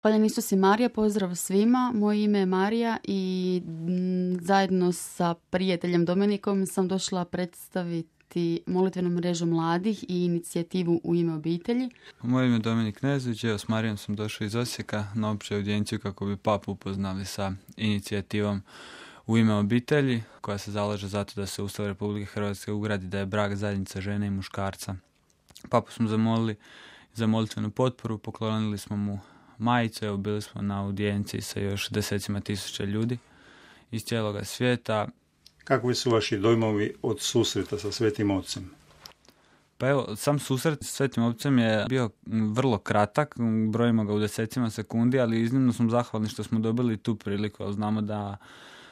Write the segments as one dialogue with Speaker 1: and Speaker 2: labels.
Speaker 1: Hvala Isusi Marija, pozdrav svima. Moje ime je Marija i zajedno sa prijateljem Dominikom sam došla predstaviti molitvenu mrežu mladih i inicijativu U ime obitelji.
Speaker 2: Moje ime je Dominik Nezović, s Marijom sam došao iz Osijeka na opću audijenciju kako bi papu upoznali sa inicijativom U ime obitelji, koja se zalaže zato da se u Ustav Republike Hrvatske ugradi da je brak zajednica žene i muškarca. Papu smo zamolili za molitvenu potporu, poklonili smo mu majicu, evo bili smo na audijenciji sa još desecima tisuća ljudi iz cijeloga svijeta.
Speaker 3: Kakvi su vaši dojmovi od susreta sa Svetim Ocem?
Speaker 2: Pa evo, sam susret s Svetim Ocem je bio vrlo kratak, brojimo ga u desecima sekundi, ali iznimno smo zahvalni što smo dobili tu priliku, ali znamo da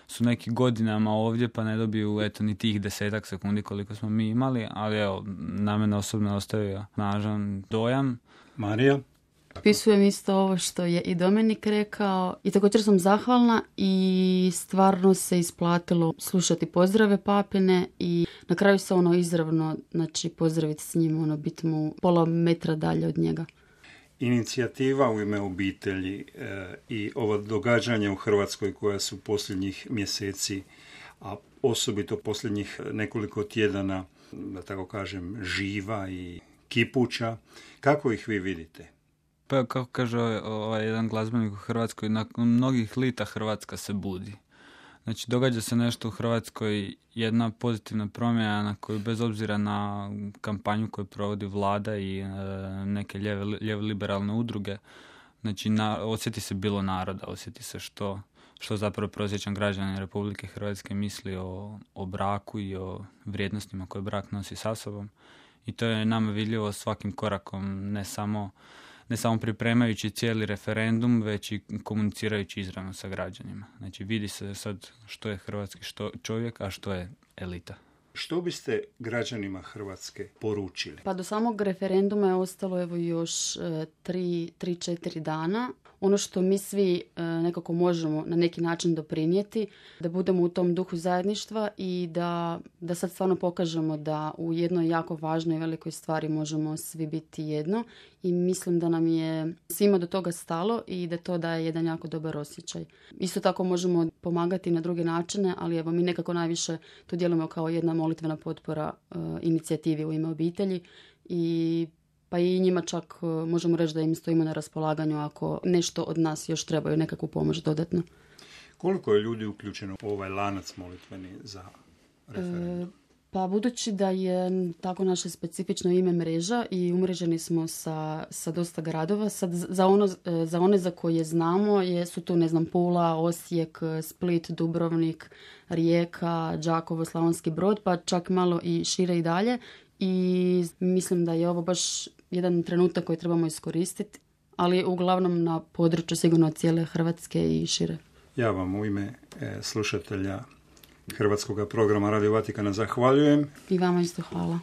Speaker 2: su neki godinama ovdje pa ne dobiju ni tih 10 sekundi koliko smo mi imali, ali evo, na mene osobno ostavio snažan dojam.
Speaker 3: Marija?
Speaker 1: Pisujem isto ovo što je i Dominik rekao i također sam zahvalna i stvarno se isplatilo slušati pozdrave papine i na kraju se izravno pozdraviti s njim, biti mu pola metra dalje od njega.
Speaker 3: Inicijativa U ime obitelji i ova događanja u Hrvatskoj koja su posljednjih mjeseci, a osobito posljednjih nekoliko tjedana, da tako kažem, živa i kipuća, kako ih vi vidite?
Speaker 2: Pa kako kaže jedan glazbenik u Hrvatskoj, nakon mnogih lita Hrvatska se budi. Znači, događa se nešto u Hrvatskoj, jedna pozitivna promjena na koju, bez obzira na kampanju koju provodi vlada i neke lijeve liberalne udruge, znači osjeti se bilo naroda, osjeti se što zapravo prosječan građanin Republike Hrvatske misli o braku i o vrijednostima koje brak nosi sa sobom. I to je nama vidljivo svakim korakom, ne samo pripremajući cijeli referendum, već i komunicirajući izravno sa građanima. Znači, vidi se sad što je hrvatski čovjek, a što je elita.
Speaker 3: Što biste građanima Hrvatske poručili?
Speaker 1: Pa do samog referenduma je ostalo još 3-4 dana. Ono što mi svi nekako možemo na neki način doprinijeti, da budemo u tom duhu zajedništva i da sad stvarno pokažemo da u jednoj jako važnoj i velikoj stvari možemo svi biti jedno i mislim da nam je svima do toga stalo i da to daje jedan jako dobar osjećaj. Isto tako možemo pomagati na druge načine, ali evo mi nekako najviše to djelujemo kao jedna molitvena potpora inicijativi U ime obitelji pa i njima čak možemo reći da im stojimo na raspolaganju ako nešto od nas još trebaju nekakvu pomoć dodatno.
Speaker 3: Koliko je ljudi uključeno u ovaj lanac molitveni za referendum?
Speaker 1: Pa budući da je tako naše specifično ime mreža i umreženi smo sa dosta gradova, sad za one za koje znamo su tu Pula, Osijek, Split, Dubrovnik, Rijeka, Đakovo, Slavonski Brod, pa čak malo i šire i dalje. I mislim da je ovo baš jedan trenutak koji trebamo iskoristiti, ali uglavnom na području sigurno cijele Hrvatske i šire.
Speaker 3: Ja vam u ime slušatelja Hrvatskog programa Radio Vatikana zahvaljujem.
Speaker 1: I vama isto hvala.